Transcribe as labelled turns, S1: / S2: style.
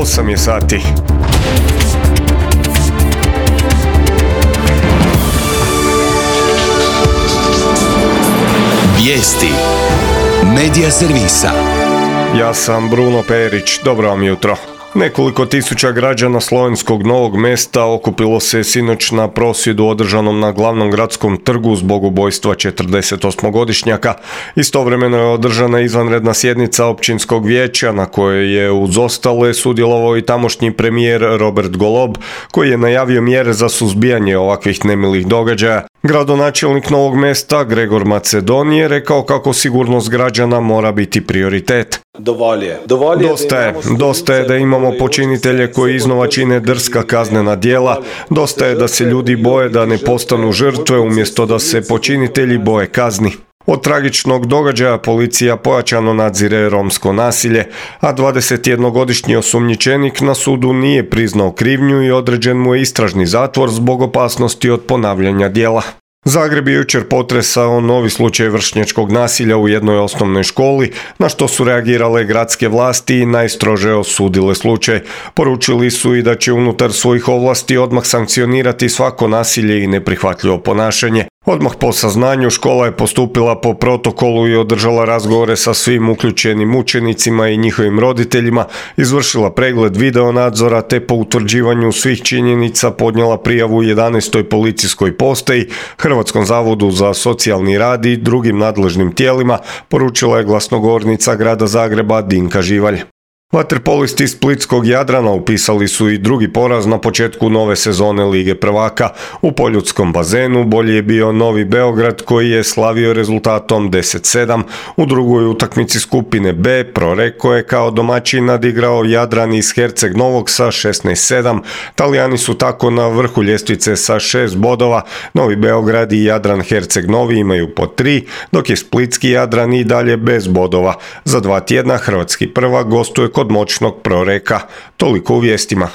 S1: 8 je sati.
S2: Vijesti Medija servisa.
S1: Ja sam Bruno Perić, dobro vam jutro. Nekoliko tisuća građana slovenskog Novog Mesta okupilo se sinoć na prosvjedu održanom na glavnom gradskom trgu zbog ubojstva 48-godišnjaka. Istovremeno je održana izvanredna sjednica općinskog vijeća na kojoj je uz ostale sudjelovao i tamošnji premijer Robert Golob, koji je najavio mjere za suzbijanje ovakvih nemilih događaja. Gradonačelnik Novog Mesta Gregor Macedoni je rekao kako sigurnost građana mora biti prioritet. Dosta je da imamo počinitelje koji iznova čine drska kaznena djela, dosta je da se ljudi boje da ne postanu žrtve umjesto da se počinitelji boje kazni. Od tragičnog događaja policija pojačano nadzire romsko nasilje, a 21-godišnji osumnjičenik na sudu nije priznao krivnju i određen mu je istražni zatvor zbog opasnosti od ponavljanja djela. Zagreb je jučer potresao novi slučaj vršnjačkog nasilja u jednoj osnovnoj školi, na što su reagirale gradske vlasti i najstrože osudile slučaj. Poručili su i da će unutar svojih ovlasti odmah sankcionirati svako nasilje i neprihvatljivo ponašanje. Odmah po saznanju škola je postupila po protokolu i održala razgovore sa svim uključenim učenicima i njihovim roditeljima, izvršila pregled video nadzora te po utvrđivanju svih činjenica podnijela prijavu 11. policijskoj postaji, Hrvatskom zavodu za socijalni rad i drugim nadležnim tijelima, poručila je glasnogovornica grada Zagreba Dinka Živalj. Vaterpolisti splitskog Jadrana upisali su i drugi poraz na početku nove sezone Lige prvaka. U poljudskom bazenu bolji je bio Novi Beograd koji je slavio rezultatom 10-7. U drugoj utakmici skupine B Proreko je kao domaćin nadigrao Jadran iz Herceg Novog sa 16-7. Talijani su tako na vrhu ljestvice sa 6 bodova. Novi Beograd i Jadran Herceg Novi imaju po 3, dok je splitski Jadran i dalje bez bodova. Za 2 tjedna hrvatski prvak gostuje kod moćnog Proreka. Toliko u vijestima.